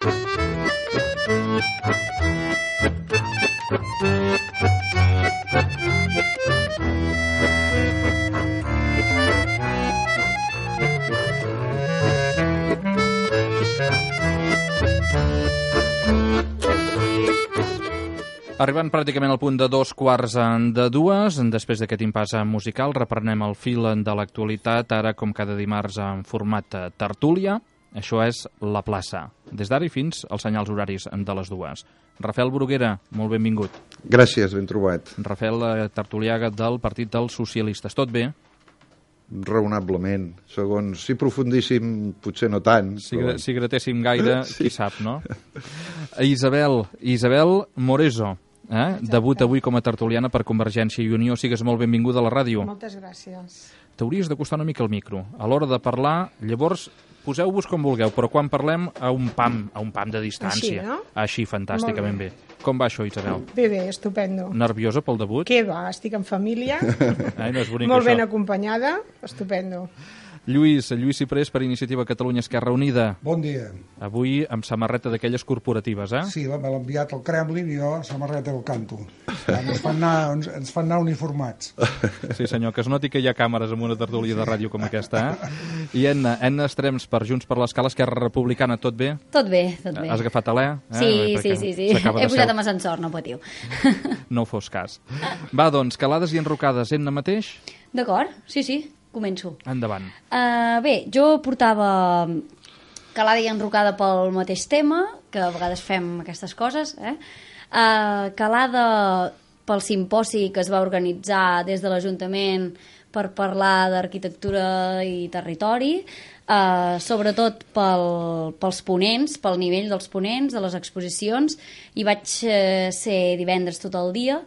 Arribant pràcticament al punt de 2:15, després d'aquest impàs musical, reprenem el fil de l'actualitat, ara com cada dimarts en format tertúlia. Això és La Plaça, des d'ara i fins als senyals horaris de les 2. Rafael Bruguera, molt benvingut. Gràcies, ben trobat. Rafael tertuliaga del Partit dels Socialistes. Tot bé? Raonablement. Segons, si profundíssim, potser no tant. Si gratéssim gaire, sí. Qui sap, no? Isabel Moreso, debut avui com a tertuliana per Convergència i Unió. Sigues molt benvinguda a la ràdio. Moltes gràcies. T'hauries d'acostar una mica al micro. A l'hora de parlar, llavors, poseu-vos com vulgueu, però quan parlem a un pam de distància. Així, no? Així, fantàsticament bé. Com va això, Isabel? Bé, estupendo. Nerviosa pel debut? Què va? Estic en família, no és bonic, molt això. ben acompanyada, estupendo. Lluís Ciprés per Iniciativa Catalunya Esquerra Unida. Bon dia. Avui amb samarreta d'aquelles corporatives, eh? Sí, me l'ha enviat al Kremlin i jo samarreta del canto. Ens fan anar uniformats. Sí, senyor, que es noti que hi ha càmeres en una tertúlia de ràdio com aquesta, eh? I Enna Estrems per Junts per l'Escala, Esquerra Republicana, tot bé? Tot bé, tot bé. Has agafat alè? Sí. He pujat amb ascensor, no patiu. No fos cas. Va, doncs, calades i enrocades, Enna mateix? D'acord, sí. Començo. Endavant. Bé, jo portava calada i enrocada pel mateix tema, que a vegades fem aquestes coses, calada pel simposi que es va organitzar des de l'Ajuntament per parlar d'arquitectura i territori, sobretot pels ponents, pel nivell dels ponents, de les exposicions. Hi vaig ser divendres tot el dia,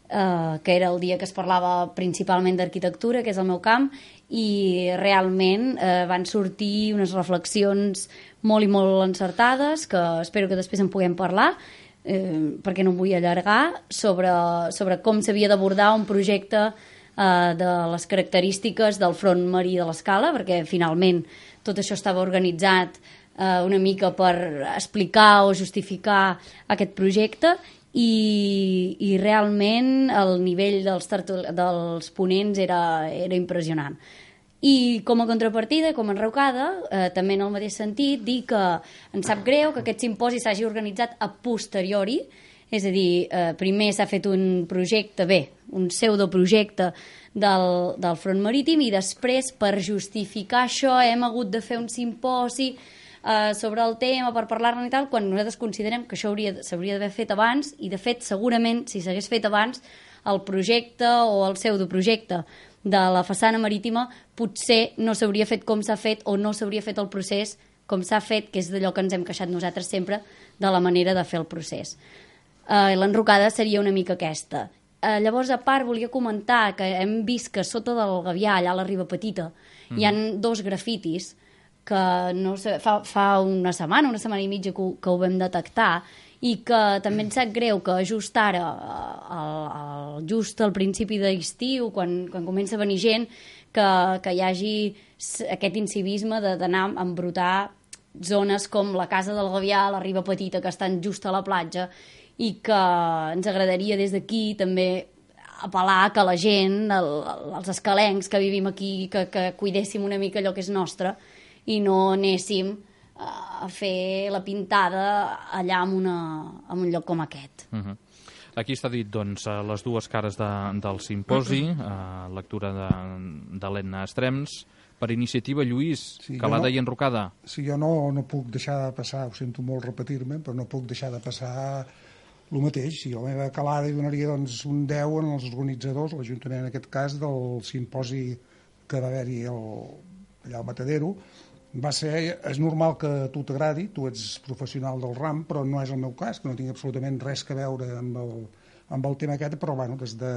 que era el dia que es parlava principalment d'arquitectura, que és el meu camp, i realment van sortir unes reflexions molt i molt encertades, que espero que després en puguem parlar, perquè no em vull allargar, sobre com s'havia d'abordar un projecte de les característiques del front marí de l'Escala, perquè finalment tot això estava organitzat una mica per explicar o justificar aquest projecte, i realment el nivell dels ponents era impressionant. I com a contrapartida, com a enrocada, també en el mateix sentit, dir que em sap greu que aquest simposi s'hagi organitzat a posteriori, és a dir, primer s'ha fet un projecte, un pseudoprojecte del front marítim, i després, per justificar això, hem hagut de fer un simposi sobre el tema per parlar-ne i tal, quan nosaltres considerem que això s'hauria d'haver fet abans, i de fet segurament si s'hagués fet abans el projecte o el pseudoprojecte de la façana marítima potser no s'hauria fet com s'ha fet, o no s'hauria fet el procés com s'ha fet, que és d'allò que ens hem queixat nosaltres sempre, de la manera de fer el procés. L'enrocada seria una mica aquesta. Llavors, a part, volia comentar que hem vist que sota del Gavià, allà a la Riba Petita, hi han 2 grafitis que no sé, fa una setmana i mitja que ho vam detectar, i que també ens sap greu que just ara, just al principi d'estiu, quan comença a venir gent, que hi hagi aquest incivisme d'anar a embrutar zones com la Casa del Gavià, la Riba Petita, que estan just a la platja, i que ens agradaria des d'aquí també apel·lar que la gent, els escalencs que vivim aquí, que cuidéssim una mica allò que és nostre, i no anéssim a fer la pintada allà en un lloc com aquest. Aquí està dit, doncs, les dues cares del simposi, lectura de l'Enna Estrems. Per iniciativa, Lluís, calada i enrocada. Sí, jo no puc deixar de passar, ho sento molt repetir-me, però no puc deixar de passar el mateix. Sí, la meva calada hi donaria un 10 en els organitzadors, l'Ajuntament en aquest cas, del simposi que va haver-hi allà al Matadero. És normal que a tu t'agradi, tu ets professional del ram, però no és el meu cas, que no tinc absolutament res a veure amb el tema aquest, però bueno, des de,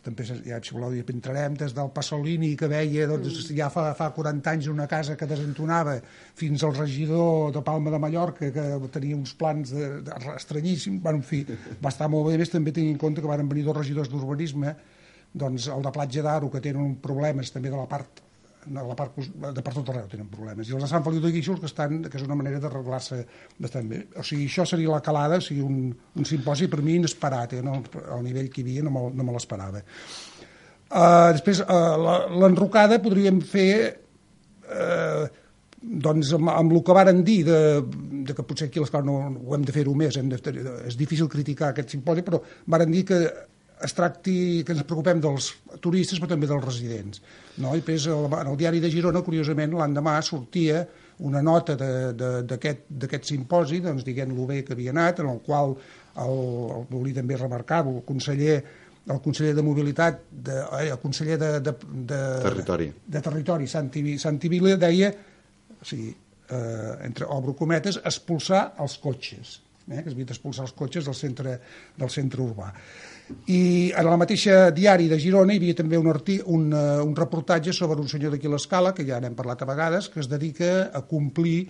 també ja si voleu dir, entrarem des del Pasolini, que veia ja fa 40 anys una casa que desentonava, fins al regidor de Palma de Mallorca, que tenia uns plans estranyíssims. En fi, va estar molt bé. Més també tenint en compte que van venir 2 regidors d'urbanisme, doncs el de Platja d'Aro, que tenen problemes també de la part la part de per tot arreu tenen problemes. I els de Sant Feliu de Guíxols, que és una manera d'arreglar-se bastant bé. O sigui, això seria la calada, o sigui, un simposi per mi inesperat, no, al nivell que hi havia no me l'esperava. Després, l'enrocada podríem fer doncs amb el que varen dir de que potser aquí a l'Escola no ho hem de fer-ho més, és difícil criticar aquest simposi, però varen dir que es tracti, que ens preocupem dels turistes però també dels residents, no? I després en el diari de Girona, curiosament, l'endemà sortia una nota d'aquest simposi, doncs dient-lo bé que havia anat, en el qual volia també remarcar el conseller de Mobilitat, el conseller de Territori, Santi Vila, deia, o sigui, entre obro cometes, expulsar els cotxes, que es havia d'expulsar els cotxes del centre urbà. I en el mateix diari de Girona hi havia també un reportatge sobre un senyor d'aquí a l'Escala, que ja n'hem parlat a vegades, que es dedica a complir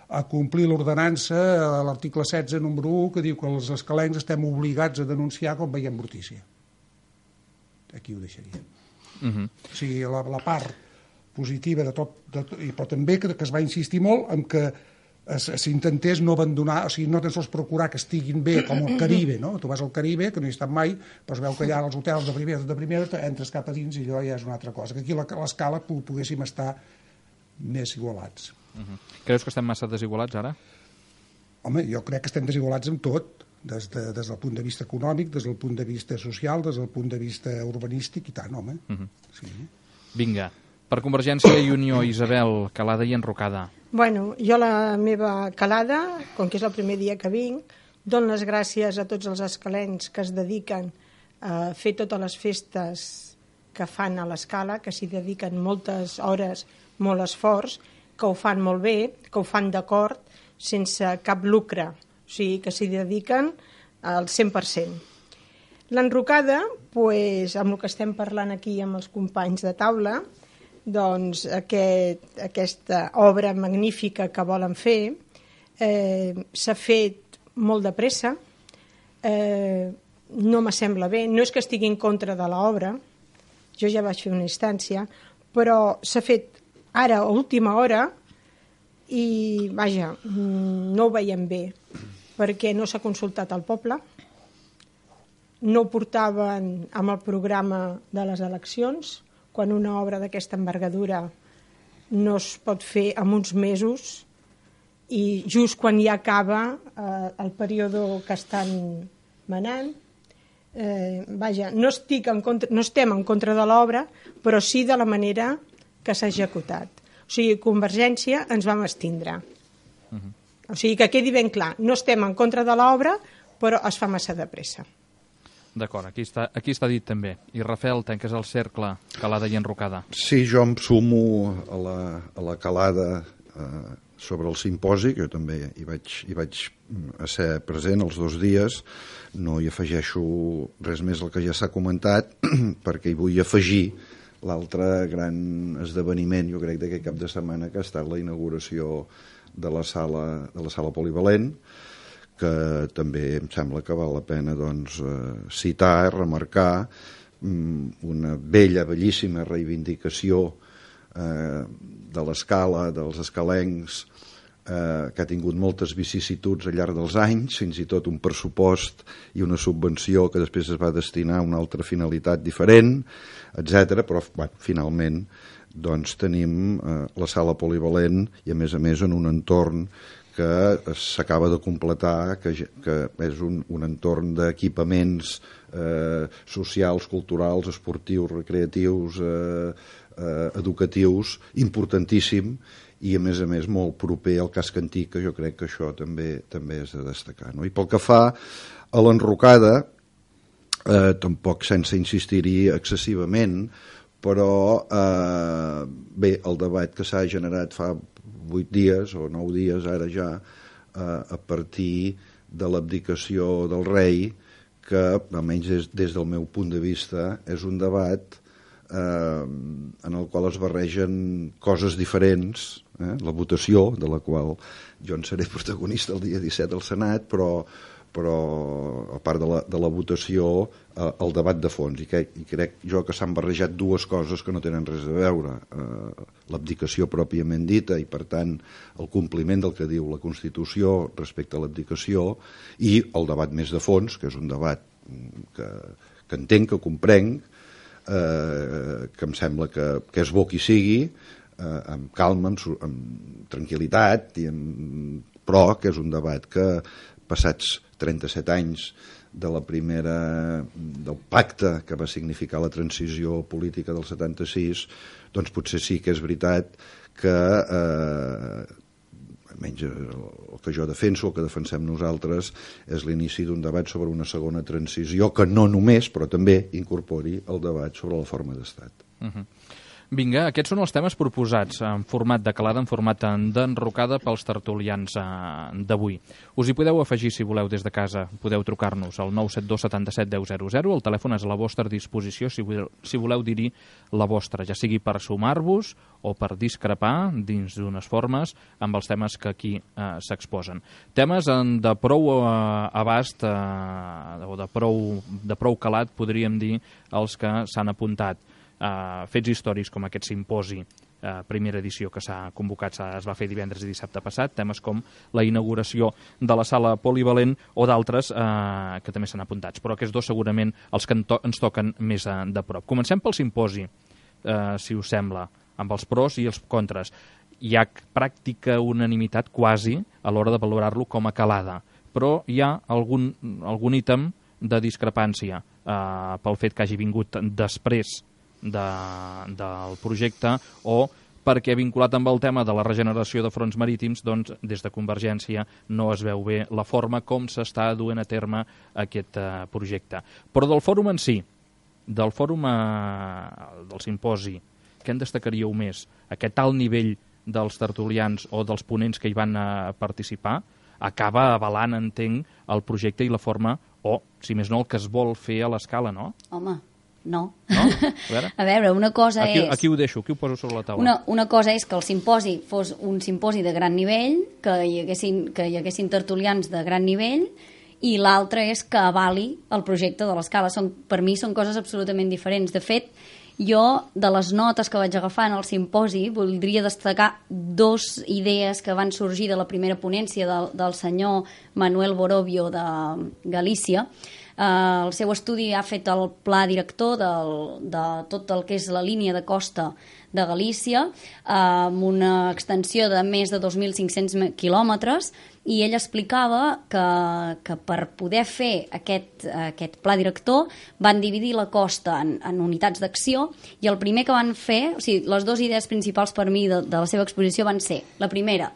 l'ordenança, l'article 16, número 1, que diu que els escalencs estem obligats a denunciar quan veiem brutícia. Aquí ho deixaria. O sigui, la part positiva de tot, però també que es va insistir molt en que s'intentés no abandonar, o sigui, no tan sols procurar que estiguin bé com el Caribe, no? Tu vas al Caribe, que no hi he estat mai, però es veu que allà als hotels de primera entres cap a dins i allò ja és una altra cosa. Que aquí a l'Escala poguéssim estar més igualats. Creus que estem massa desigualats ara? Home, jo crec que estem desigualats en tot, des del punt de vista econòmic, des del punt de vista social, des del punt de vista urbanístic i tant, home. Sí. Vinga, per Convergència i Unió, Isabel, calada i enrocada. Bueno, jo la meva calada, com que és el primer dia que vinc, dono les gràcies a tots els escalencs que es dediquen a fer totes les festes que fan a l'Escala, que s'hi dediquen moltes hores, molt esforç, que ho fan molt bé, que ho fan d'acord, sense cap lucre, o sigui, que s'hi dediquen al 100%. L'enrocada, doncs, amb el que estem parlant aquí amb els companys de taula, doncs aquesta obra magnífica que volen fer s'ha fet molt de pressa, no m'assembla bé, no és que estigui en contra de l'obra, jo ja vaig fer una instància, però s'ha fet ara a última hora i vaja, no ho veiem bé, perquè no s'ha consultat al poble, no ho portaven amb el programa de les eleccions, quan una obra d'aquesta envergadura no es pot fer en uns mesos i just quan ja acaba el període que estan manant. Vaja, no estem en contra de l'obra, però sí de la manera que s'ha executat. O sigui, Convergència ens vam abstindre. O sigui, que quedi ben clar, no estem en contra de l'obra, però es fa massa de pressa. D'acord, aquí està dit també. I Rafael, tanques el cercle, calada i enrocada. Sí, jo em sumo a la calada sobre el simposi, que jo també hi vaig ser present els 2 dies. No hi afegeixo res més al que ja s'ha comentat, perquè hi vull afegir l'altre gran esdeveniment, jo crec, d'aquest cap de setmana, que ha estat la inauguració de la sala polivalent, que també em sembla que val la pena doncs, citar, remarcar una bellíssima reivindicació de l'Escala, dels escalencs, que ha tingut moltes vicissituds al llarg dels anys, fins i tot un pressupost i una subvenció que després es va destinar a una altra finalitat diferent, etc. Però finalment doncs, tenim la sala polivalent i a més en un entorn que s'acaba de completar, que és un entorn d'equipaments socials, culturals, esportius, recreatius, educatius, importantíssim, i a més molt proper al casc antic, que jo crec que això també és de destacar. No? I pel que fa a l'enrocada, tampoc sense insistir-hi excessivament, però bé, el debat que s'ha generat fa 8 dies o 9 dies ara ja, a partir de l'abdicació del rei, que almenys des del meu punt de vista és un debat en el qual es barregen coses diferents, la votació, de la qual jo en seré protagonista el dia 17 al Senat, però però a part de la votació, el debat de fons, i crec jo que s'han barrejat dues coses que no tenen res a veure, l'abdicació pròpiament dita i per tant el compliment del que diu la Constitució respecte a l'abdicació, i el debat més de fons, que és un debat que entenc, que comprenc, que em sembla que és bo qui sigui, amb calma, amb tranquil·litat, però que és un debat que passats 37 anys del pacte que va significar la transició política del 76, doncs potser sí que és veritat que almenys el que jo defenso, el que defensem nosaltres, és l'inici d'un debat sobre una segona transició que no només, però també incorpori el debat sobre la forma d'estat. Vinga, aquests són els temes proposats en format de calada, en format d'enrocada pels tertulians d'avui. Us hi podeu afegir si voleu des de casa. Podeu trucar-nos al 972 77 10 00. El telèfon és a la vostra disposició si voleu dir-hi la vostra, ja sigui per sumar-vos o per discrepar dins d'unes formes amb els temes que aquí s'exposen. Temes de prou abast o de prou calat, podríem dir, els que s'han apuntat. Fets històrics com aquest simposi, primera edició que s'ha convocat, es va fer divendres i dissabte passat, temes com la inauguració de la sala polivalent o d'altres que també s'han apuntats, però aquests dos segurament els que ens toquen més de prop. Comencem pel simposi, si us sembla, amb els pros i els contres. Hi ha pràctica unanimitat quasi a l'hora de valorar-lo com a calada, però hi ha algun ítem de discrepància pel fet que hagi vingut després del projecte o perquè vinculat amb el tema de la regeneració de fronts marítims, doncs des de Convergència no es veu bé la forma com s'està duent a terme aquest projecte. Però del fòrum en si, del fòrum del simposi, què en destacaríeu més? Aquest alt nivell dels tertulians o dels ponents que hi van participar acaba avalant, entenc, el projecte i la forma, o, si més no, el que es vol fer a l'escala, no? Home, no. A veure, una cosa és... Aquí ho deixo, aquí ho poso sobre la taula. Una cosa és que el simposi fos un simposi de gran nivell, que hi haguessin tertulians de gran nivell, i l'altra és que avali el projecte de l'escala. Per mi són coses absolutament diferents. De fet, jo, de les notes que vaig agafar en el simposi, voldria destacar dues idees que van sorgir de la primera ponència del senyor Manuel Borovio de Galícia. El seu estudi ha fet el pla director de tot el que és la línia de costa de Galícia, amb una extensió de més de 2.500 quilòmetres, i ell explicava que per poder fer aquest pla director van dividir la costa en unitats d'acció, i el primer que van fer, o sigui, les dues idees principals per mi de la seva exposició van ser, el primer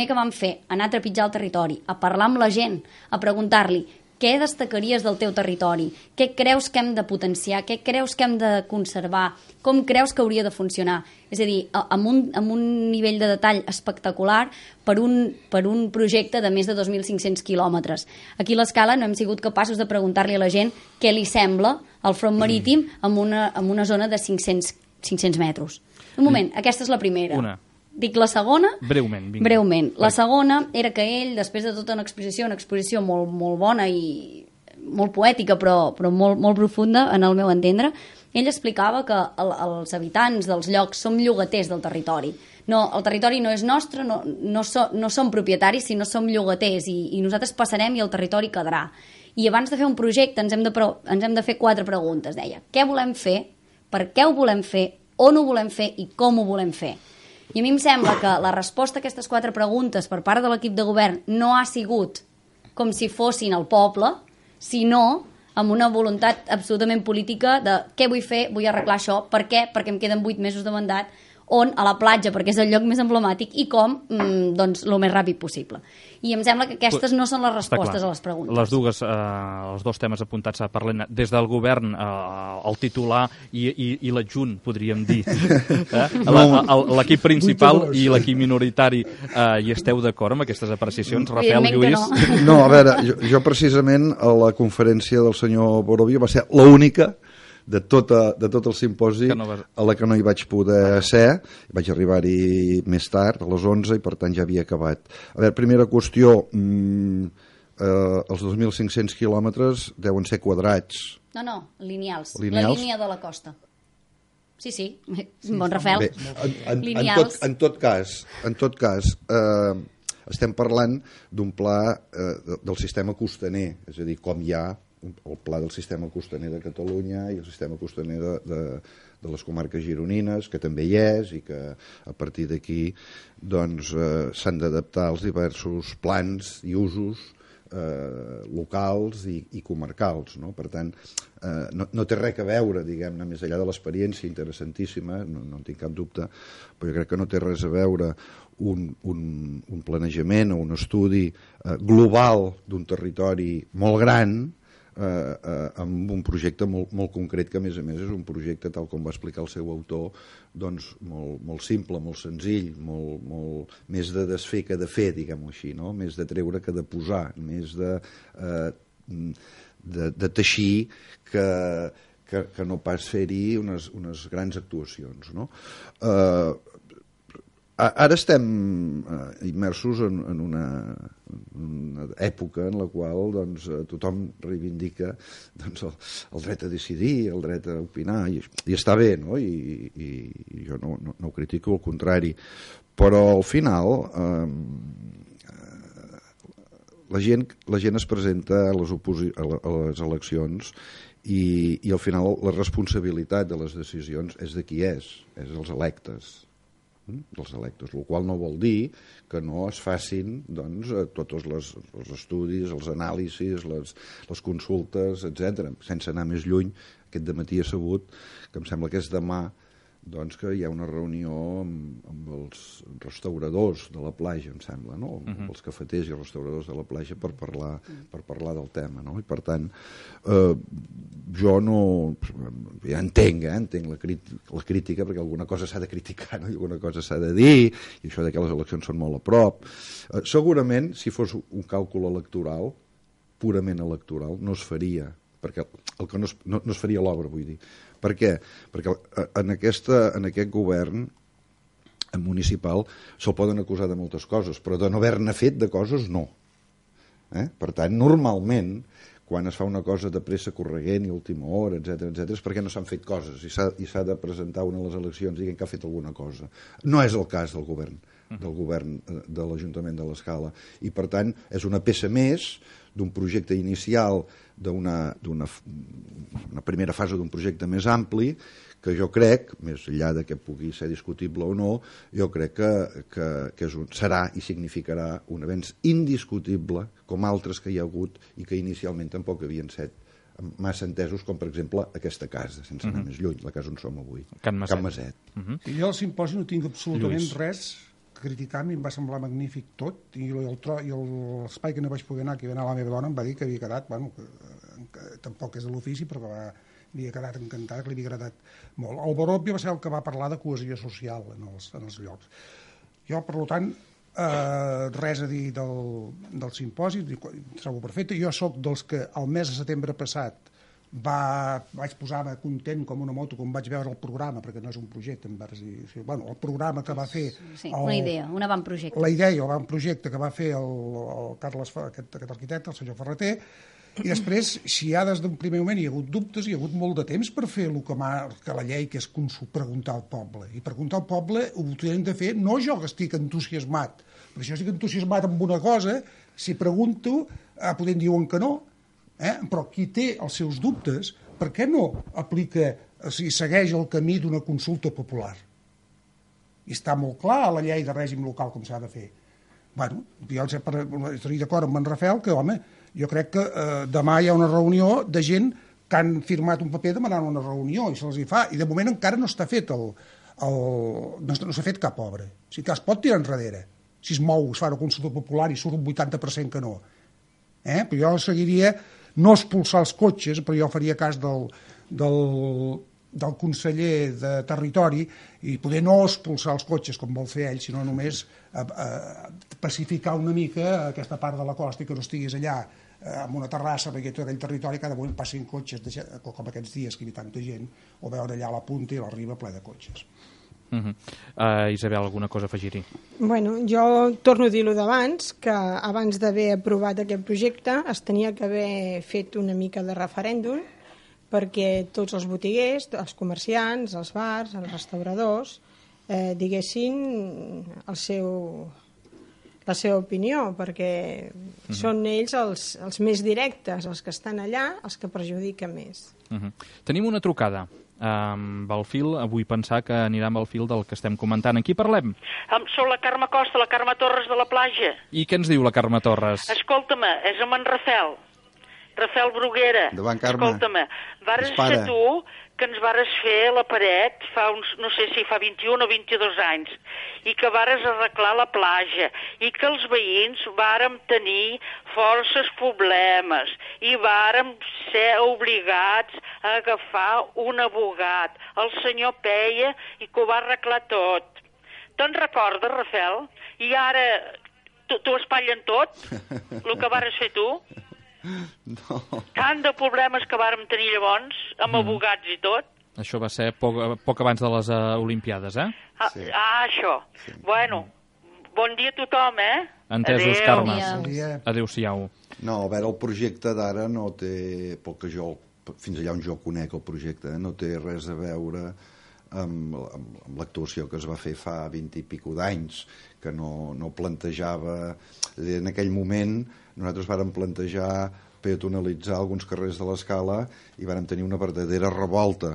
que van fer, anar a trepitjar el territori, a parlar amb la gent, a preguntar-li què destacaries del teu territori, què creus que hem de potenciar, què creus que hem de conservar, com creus que hauria de funcionar. És a dir, amb un nivell de detall espectacular per un projecte de més de 2.500 quilòmetres. Aquí a l'escala no hem sigut capaços de preguntar-li a la gent què li sembla el front marítim en una zona de 500 metres. Un moment, aquesta és la primera. Dic la segona? Breument. La segona era que ell, després de tota una exposició molt, molt bona i molt poètica, però molt, molt profunda, en el meu entendre, ell explicava que els habitants dels llocs som llogaters del territori. No, el territori no és nostre, no som propietaris, sinó som llogaters, i nosaltres passarem i el territori quedarà. I abans de fer un projecte ens hem de fer 4 preguntes, deia. Què volem fer? Per què ho volem fer? On ho volem fer? I com ho volem fer? I a mi em sembla que la resposta a aquestes 4 preguntes per part de l'equip de govern no ha sigut com si fossin el poble, sinó amb una voluntat absolutament política de què vull fer, vull arreglar això, per què? Perquè em queden 8 mesos de mandat, on? A la platja, perquè és el lloc més emblemàtic, i com? Doncs el més ràpid possible. I em sembla que aquestes no són les respostes a les preguntes. Els dos temes apuntats per l'Helena, des del govern, el titular i l'adjunt, podríem dir. L'equip principal i l'equip minoritari, hi esteu d'acord amb aquestes apreciacions? Rafael, Lluís? No, a veure, jo precisament a la conferència del senyor Borovio va ser l'única de tot el simposi a la que no hi vaig poder ser. Vaig arribar-hi més tard, a les 11, i per tant ja havia acabat. A veure, primera qüestió, els 2.500 quilòmetres deuen ser quadrats. No, lineals. Lineals? La línia de la costa. Sí, bon Rafael. Bé, lineals. en tot cas, estem parlant d'un pla del sistema costaner, és a dir, com hi ha el pla del sistema costaner de Catalunya i el sistema costaner de les comarques gironines, que també hi és, i que a partir d'aquí doncs, s'han d'adaptar als diversos plans i usos locals i comarcals, no? Per tant, no té res a veure, diguem-ne, més enllà de l'experiència interessantíssima, no en tinc cap dubte, però jo crec que no té res a veure un planejament o un estudi global d'un territori molt gran amb un projecte molt concret, que a més és un projecte, tal com va explicar el seu autor, doncs molt simple, molt senzill, molt més de desfer que de fer, diguem-ho així, no? Més de treure que de posar, més de teixir que no pas fer-hi unes grans actuacions, no? Ara estem immersos en una època en la qual doncs, tothom reivindica doncs, el dret a decidir, el dret a opinar, i està bé, no? I jo no ho critico, al contrari, però al final la gent es presenta a les eleccions i al final la responsabilitat de les decisions és de qui és dels electes, dels electes, el qual no vol dir que no es facin doncs, tots els estudis, els anàlisis, les consultes, etc. Sense anar més lluny, aquest dematí he sabut que em sembla que és demà doncs, que hi ha una reunió amb els restauradors de la platja, em sembla, no? Amb els cafeters i els restauradors de la platja per parlar del tema, no? I per tant, jo no... ja entenc la crítica, perquè alguna cosa s'ha de criticar, no? I alguna cosa s'ha de dir, i això de que les eleccions són molt a prop. Segurament, si fos un càlcul electoral, purament electoral, no es faria, perquè el que no es faria l'obra, vull dir. Per què? Perquè en aquest govern municipal se'l poden acusar de moltes coses, però de no haver-ne fet de coses, no. Per tant, normalment, quan es fa una cosa de pressa corregent i última hora, etc, és perquè no s'han fet coses i s'ha de presentar una a les eleccions dient que ha fet alguna cosa. No és el cas del govern de l'Ajuntament de l'Escala, i per tant és una peça més d'un projecte inicial, d'una primera fase d'un projecte més ampli, que jo crec, més enllà de que pugui ser discutible o no, jo crec que serà i significarà un avenç indiscutible, com altres que hi ha hagut i que inicialment tampoc havien set massa entesos, com per exemple aquesta casa, sense anar més lluny, la casa on som avui, Can Maset. Jo al simposi no tinc absolutament res a criticar, a mi em va semblar magnífic tot, i l'espai que no vaig poder anar, que hi va anar la meva dona, em va dir que havia quedat, bueno, que tampoc és de l'ofici, però que havia quedat encantat, que li havia agradat molt. El Baròbia va ser el que va parlar de cohesió social en els llocs. Jo, per tant, res a dir del simposi, trobo perfecte. Jo sóc dels que el mes de setembre passat vaig posar-me content com una moto quan vaig veure el programa, perquè no és un projecte, el programa que va fer... Sí, una idea, un avantprojecte. La idea, l'avantprojecte que va fer el Carles, aquest arquitecte, el senyor Ferreter, i després, si ja des d'un primer moment hi ha hagut dubtes, hi ha hagut molt de temps per fer el que marca la llei, que és preguntar al poble. I preguntar al poble ho tenen de fer, no jo que estic entusiasmat, perquè si jo estic entusiasmat amb una cosa, si pregunto, podem diuen que no, però qui té els seus dubtes, per què no aplica, si segueix el camí d'una consulta popular? I està molt clar a la llei de règim local com s'ha de fer. Bueno, jo estic d'acord amb en Rafael que, home, jo crec que demà hi ha una reunió de gent que han firmat un paper demanant una reunió i se'ls hi fa, i de moment encara no està fet no s'ha fet cap obra. O sigui que es pot tirar enrere. Si es mou, es fa una consulta popular i surt un 80% que no. Però jo seguiria no expulsar els cotxes, però jo faria cas del conseller de Territori i poder no expulsar els cotxes com vol fer ell, sinó només pacificar una mica aquesta part de la costa i que no estiguis allà amb una terrassa, perquè tot aquell territori cada moment passin cotxes, com aquests dies que hi ha tanta gent, o veure allà la punta i la riba ple de cotxes. Isabel, alguna cosa a afegir-hi? Bueno, jo torno a dir-ho d'abans, que abans d'haver aprovat aquest projecte es tenia que haver fet una mica de referèndum perquè tots els botiguers, els comerciants, els bars, els restauradors, diguessin la seva opinió, perquè són ells els més directes, els que estan allà, els que perjudiquen més. Tenim una trucada amb el fil, vull pensar que anirà amb el fil del que estem comentant. En qui parlem? Soc la Carme Costa, la Carme Torres de la Plaja. I què ens diu la Carme Torres? Escolta-me, és amb en Rafel Bruguera. Endavant, Carme. Escolta-me, vares ser tu que ens vares fer la paret fa uns, no sé si fa 21 o 22 anys, i que vares arreglar la platja, i que els veïns vàrem tenir forces problemes, i vàrem ser obligats a agafar un abogat, el senyor Peia, i que ho va arreglar tot. Te'n recordes, Rafel? I ara t'ho espatllen tot, el que vares fer tu? No. Tant de problemes que vàrem tenir llavors, amb abogats i tot. Això va ser poc abans de les Olimpiades, eh? Sí. Això. Sí. Bueno, bon dia a tothom, Entesos, Adéu. Carme. Adéu-siau. No, a veure, el projecte d'ara no té, pel que jo, fins allà on jo conec el projecte, no té res a veure amb l'actuació que es va fer fa 20 i pico d'anys, que no plantejava... En aquell moment nosaltres vàrem plantejar peatonalitzar alguns carrers de l'Escala i vàrem tenir una verdadera revolta,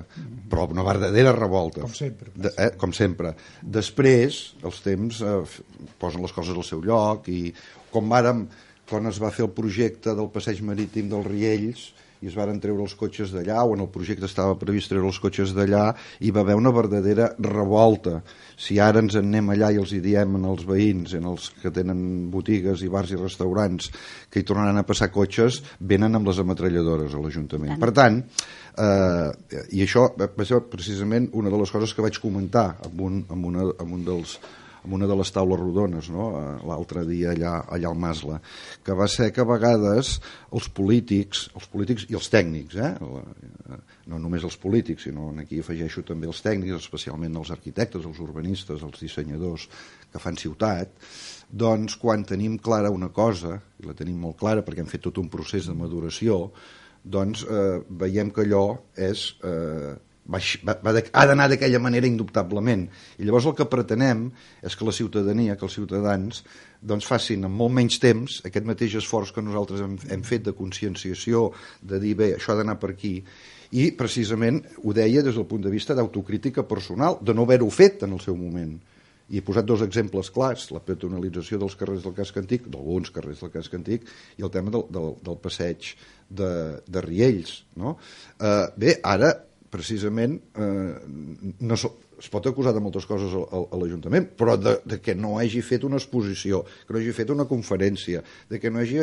però una verdadera revolta. Com sempre. Com sempre. Després, els temps posen les coses al seu lloc i quan es va fer el projecte del passeig marítim dels Riells i es varen treure els cotxes d'allà, o en el projecte estava previst treure els cotxes d'allà, hi va haver una verdadera revolta. Si ara ens en anem allà i els hi diem als veïns, els que tenen botigues i bars i restaurants, que hi tornaran a passar cotxes, venen amb les ametralladores a l'Ajuntament. Per tant, i això va ser precisament una de les coses que vaig comentar amb una de les taules rodones, no? L'altre dia allà al Masla, que va ser que a vegades els polítics i els tècnics, no només els polítics, sinó aquí afegeixo també els tècnics, especialment els arquitectes, els urbanistes, els dissenyadors que fan ciutat, doncs quan tenim clara una cosa, i la tenim molt clara perquè hem fet tot un procés de maduració, doncs veiem que allò és... ha d'anar d'aquella manera indubtablement, i llavors el que pretenem és que la ciutadania, que els ciutadans doncs facin en molt menys temps aquest mateix esforç que nosaltres hem fet de conscienciació, de dir bé, això ha d'anar per aquí, i precisament ho deia des del punt de vista d'autocrítica personal, de no haver-ho fet en el seu moment. I he posat 2 exemples clars, la peatonalització dels carrers del Casc Antic, d'alguns carrers del Casc Antic, i el tema del passeig de Riells, no? Bé, ara precisament es pot acusar de moltes coses a l'Ajuntament, però de que no hagi fet una exposició, que no hagi fet una conferència, de que no hagi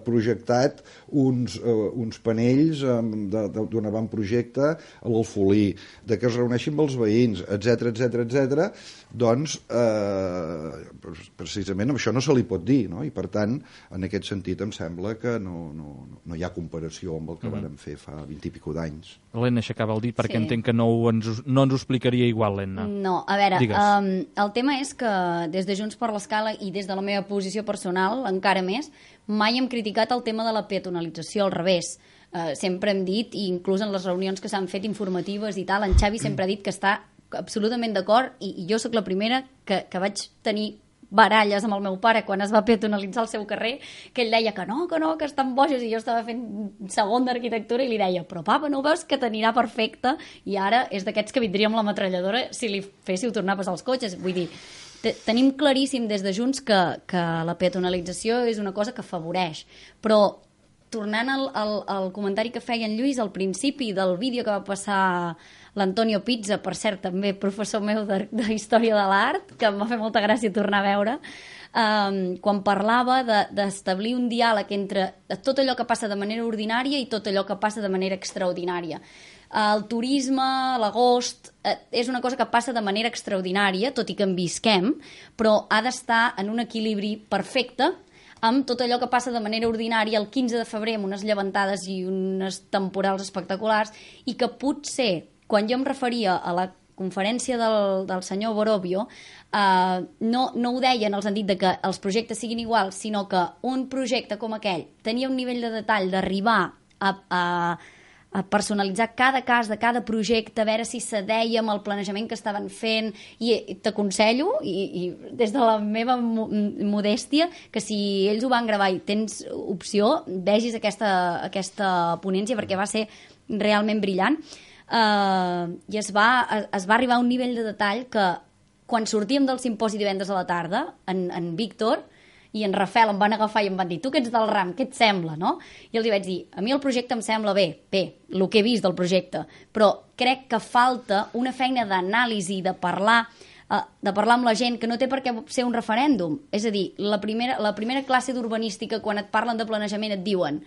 projectat uns panells d'un avantprojecte a l'Alfolí, de que es reuneixi amb els veïns, etc. Doncs precisament això no se li pot dir, no? I per tant, en aquest sentit em sembla que no hi ha comparació amb el que vàrem fer fa 20 i pico d'anys. L'Enna aixecava el dit perquè entenc que no ens ho explicaria igual, l'Enna. No, a veure, el tema és que des de Junts per l'Escala i des de la meva posició personal, encara més, mai hem criticat el tema de la peatonalització, al revés. Sempre hem dit, i inclús en les reunions que s'han fet informatives i tal, en Xavi sempre ha dit que està absolutament d'acord, i jo sóc la primera que vaig tenir baralles amb el meu pare quan es va peatonalitzar el seu carrer, que ell deia que no, que estan bojos, i jo estava fent segon d'arquitectura i li deia, però papa, no veus que t'anirà perfecte? I ara és d'aquests que vindria amb la metralladora si li féssiu tornar a passar els cotxes. Vull dir, tenim claríssim des de Junts que la peatonalització és una cosa que afavoreix, però tornant al comentari que feia en Lluís al principi del vídeo que va passar l'Antonio Pizza, per cert, també professor meu de Història de l'Art, que em va fer molta gràcia tornar a veure, quan parlava d'establir un diàleg entre tot allò que passa de manera ordinària i tot allò que passa de manera extraordinària. El turisme, l'agost, és una cosa que passa de manera extraordinària, tot i que en visquem, però ha d'estar en un equilibri perfecte amb tot allò que passa de manera ordinària el 15 de febrer amb unes llevantades i unes temporals espectaculars, i que potser, quan jo em referia a la conferència del senyor Borovio no ho deia en el sentit de que els projectes siguin iguals, sinó que un projecte com aquell tenia un nivell de detall d'arribar a personalitzar cada cas de cada projecte, a veure si s'adeia amb el planejament que estaven fent, i t'aconsello, i des de la meva modèstia, que si ells ho van gravar i tens opció, vegis aquesta ponència, perquè va ser realment brillant, i es va arribar a un nivell de detall que quan sortíem del simposi divendres a la tarda, en Víctor i en Rafael em van agafar i em van dir: tu que ets del RAM, què et sembla, no? I els vaig dir: a mi el projecte em sembla bé, el que he vist del projecte, però crec que falta una feina d'anàlisi, de parlar amb la gent, que no té per què ser un referèndum. És a dir, la primera classe d'urbanística, quan et parlen de planejament, et diuen: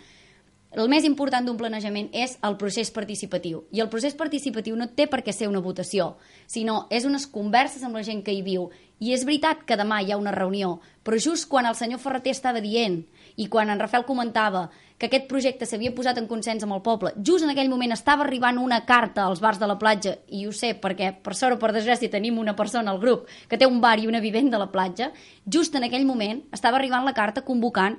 el més important d'un planejament és el procés participatiu. I el procés participatiu no té per què ser una votació, sinó és unes converses amb la gent que hi viu. I és veritat que demà hi ha una reunió, però just quan el senyor Ferreter estava dient i quan en Rafael comentava que aquest projecte s'havia posat en consens amb el poble, just en aquell moment estava arribant una carta als bars de la platja, i ho sé perquè, per sort o per desgràcia, tenim una persona al grup que té un bar i una vivenda a la platja, just en aquell moment estava arribant la carta convocant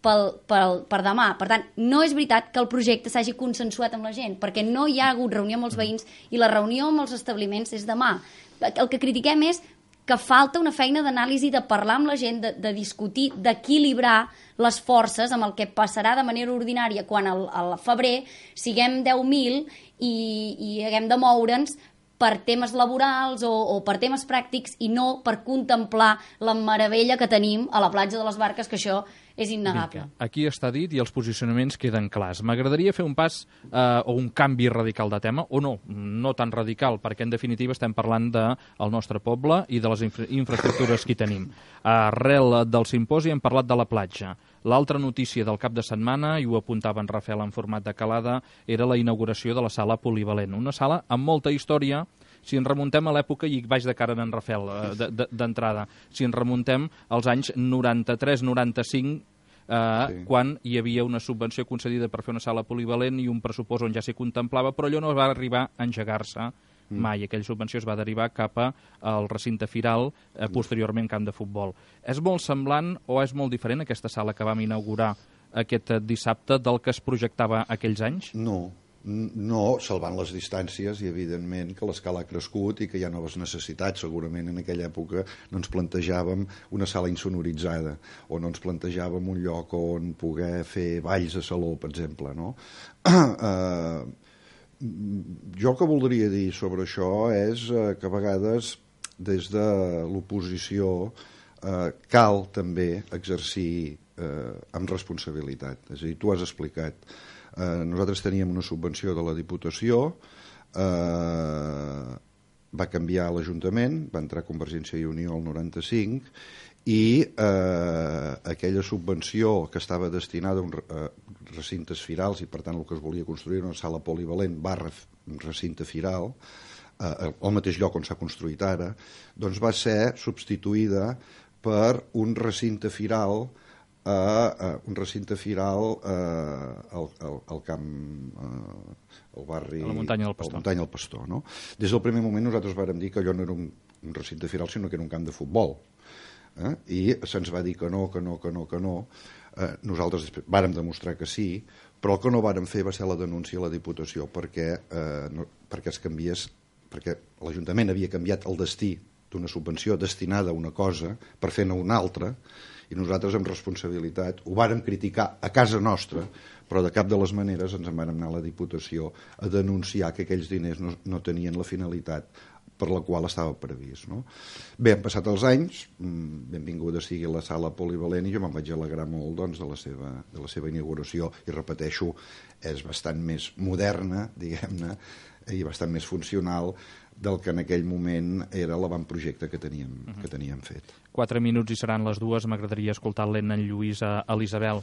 per demà. Per tant, no és veritat que el projecte s'hagi consensuat amb la gent, perquè no hi ha hagut reunió amb els veïns i la reunió amb els establiments és demà. El que critiquem és que falta una feina d'anàlisi, de parlar amb la gent, de discutir, d'equilibrar les forces amb el que passarà de manera ordinària quan al febrer siguem 10.000 i haguem de moure'ns per temes laborals o per temes pràctics i no per contemplar la meravella que tenim a la platja de les Barques, que això és innegable. Aquí està dit i els posicionaments queden clars. M'agradaria fer un pas o un canvi radical de tema, o no tan radical, perquè en definitiva estem parlant del nostre poble i de les infraestructures que hi tenim. Arrel del simposi hem parlat de la platja. L'altra notícia del cap de setmana, i ho apuntava en Rafael en format de calada, era la inauguració de la sala polivalent. Una sala amb molta història. Si ens remuntem a l'època, i vaig de cara en Rafael d'entrada, si ens remuntem als anys 93-95, quan hi havia una subvenció concedida per fer una sala polivalent i un pressupost on ja s'hi contemplava, però allò no va arribar a engegar-se mai. Aquella subvenció es va derivar cap al recinte firal, posteriorment camp de futbol. És molt semblant o és molt diferent aquesta sala que vam inaugurar aquest dissabte del que es projectava aquells anys? No, salvant les distàncies i evidentment que l'escala ha crescut i que hi ha noves necessitats. Segurament en aquella època no ens plantejàvem una sala insonoritzada o no ens plantejàvem un lloc on poder fer balls a saló, per exemple, no? Jo el que voldria dir sobre això és que a vegades des de l'oposició cal també exercir amb responsabilitat. És a dir, tu has explicat. Nosaltres teníem una subvenció de la Diputació, va canviar l'Ajuntament, va entrar Convergència i Unió el 95, i aquella subvenció que estava destinada a recintes firals, i per tant el que es volia construir era una sala polivalent / recinte firal, al mateix lloc on s'ha construït ara, doncs va ser substituïda per un recinte firal al camp, al barri, a la muntanya del Pastor. No? Des del primer moment nosaltres vàrem dir que allò no era un recinte firal, sinó que era un camp de futbol. I se'ns va dir que no. Nosaltres vàrem demostrar que sí, però el que no vàrem fer va ser la denúncia a la Diputació perquè es canviés, perquè l'Ajuntament havia canviat el destí d'una subvenció destinada a una cosa per fer-ne una altra, i nosaltres amb responsabilitat ho vàrem criticar a casa nostra, però de cap de les maneres ens en vàrem anar a la Diputació a denunciar que aquells diners no tenien la finalitat per la qual estava previst. No? Bé, han passat els anys, benvinguda sigui la sala polivalent, i jo me'n vaig alegrar molt doncs, de la seva inauguració, i repeteixo, és bastant més moderna, diguem-ne, i bastant més funcional del que en aquell moment era l'avantprojecte que teníem fet. 4 minuts i seran les 2. M'agradaria escoltar l'Enna, en Lluís, a l'Isabel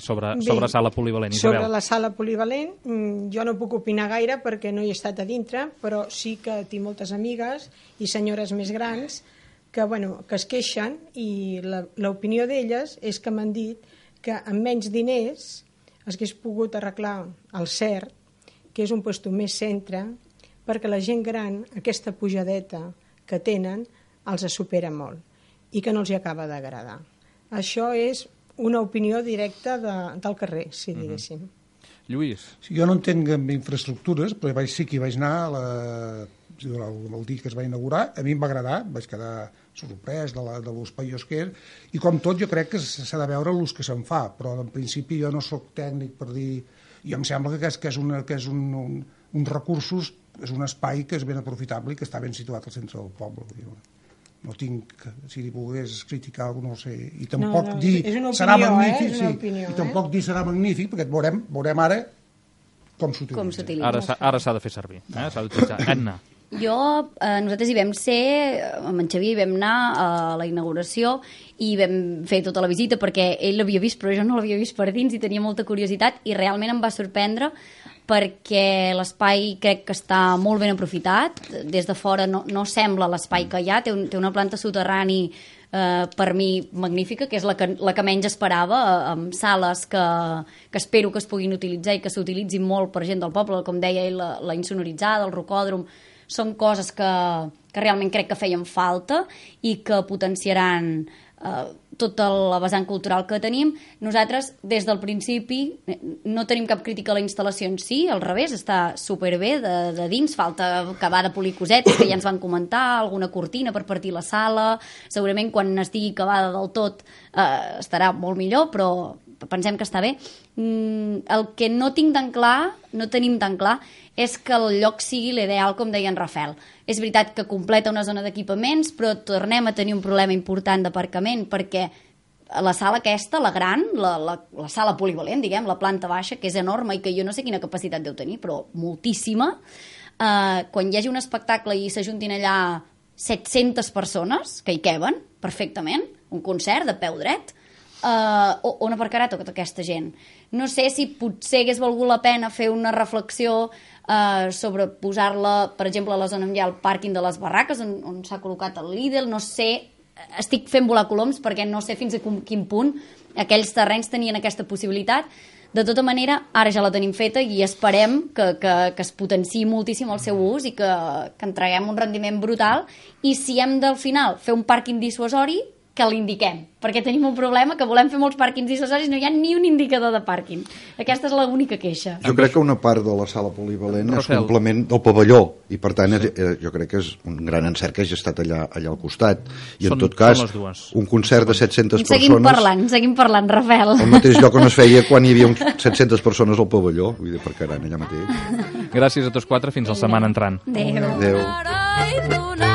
sobre sala polivalent. Isabel. Sobre la sala polivalent, jo no puc opinar gaire perquè no hi he estat a dintre, però sí que tinc moltes amigues i senyores més grans que es queixen, i l'opinió d'elles és que m'han dit que amb menys diners s'hagués pogut arreglar el CERT, que és un lloc més centre, perquè la gent gran, aquesta pujadeta que tenen, els supera molt i que no els hi acaba d'agradar. Això és una opinió directa del carrer, si diguéssim. Lluís? Sí, jo no entenc en infraestructures, però sí que hi vaig anar el dia que es va inaugurar. A mi em va agradar, vaig quedar sorprès de l'ús paiós que és, i com tot jo crec que s'ha de veure l'ús que se'n fa, però en principi jo no sóc tècnic per dir... Jo em sembla que és uns recursos, és un espai que és ben aprofitable i que està ben situat al centre del poble. No tinc, si li pogués criticar algú, no ho sé, i tampoc dir serà magnífic, i tampoc dir serà magnífic, perquè veurem ara com s'utilitza. Ara s'ha de fer servir, s'ha d'utilitzar. Edna. Nosaltres hi vam ser, amb en Xavier, vam anar a la inauguració i vam fer tota la visita perquè ell l'havia vist, però jo no l'havia vist per dins i tenia molta curiositat i realment em va sorprendre perquè l'espai crec que està molt ben aprofitat. Des de fora no sembla l'espai que hi ha, té una planta soterrani per mi magnífica, que és la que menys esperava, amb sales que espero que es puguin utilitzar i que s'utilitzin molt per gent del poble, com deia ell, la insonoritzada, el rocòdrom, són coses que realment crec que feien falta i que potenciaran tota la vessant cultural que tenim. Nosaltres, des del principi, no tenim cap crítica a la instal·lació en si, al revés, està superbé de dins, falta acabar de polir cosetes que ja ens van comentar, alguna cortina per partir la sala, segurament quan estigui acabada del tot estarà molt millor, però pensem que està bé. El que no tenim tan clar és que el lloc sigui l'ideal, com deia en Rafael. És veritat que completa una zona d'equipaments, però tornem a tenir un problema important d'aparcament, perquè la sala aquesta, la gran, la sala polivalent, diguem, la planta baixa, que és enorme i que jo no sé quina capacitat deu tenir, però moltíssima, quan hi hagi un espectacle i s'ajuntin allà 700 persones, que hi queben perfectament, un concert de peu dret, on aparcarà tota aquesta gent? No sé si potser hagués valgut la pena fer una reflexió sobre posar-la, per exemple, a la zona on hi ha el pàrquing de les barraques, on s'ha col·locat el Lidl, no sé, estic fent volar coloms perquè no sé fins a quin punt aquells terrenys tenien aquesta possibilitat. De tota manera, ara ja la tenim feta i esperem que es potenciï moltíssim el seu ús i que entreguem un rendiment brutal, i si hem del final fer un pàrquing dissuasori, que l'indiquem, perquè tenim un problema que volem fer molts pàrquings dissuasoris, no hi ha ni un indicador de pàrquing. Aquesta és l'única queixa. Jo crec que una part de la sala polivalent és complement del pavelló, i per tant jo crec que és un gran encert que hagi estat allà al costat, i en tot cas un concert de 700 persones... Seguim parlant, Rafael. El mateix lloc on es feia quan hi havia 700 persones al pavelló, vull dir, perquè eren allà mateix. Gràcies a tots quatre, fins la setmana entrant. Adéu. Adéu.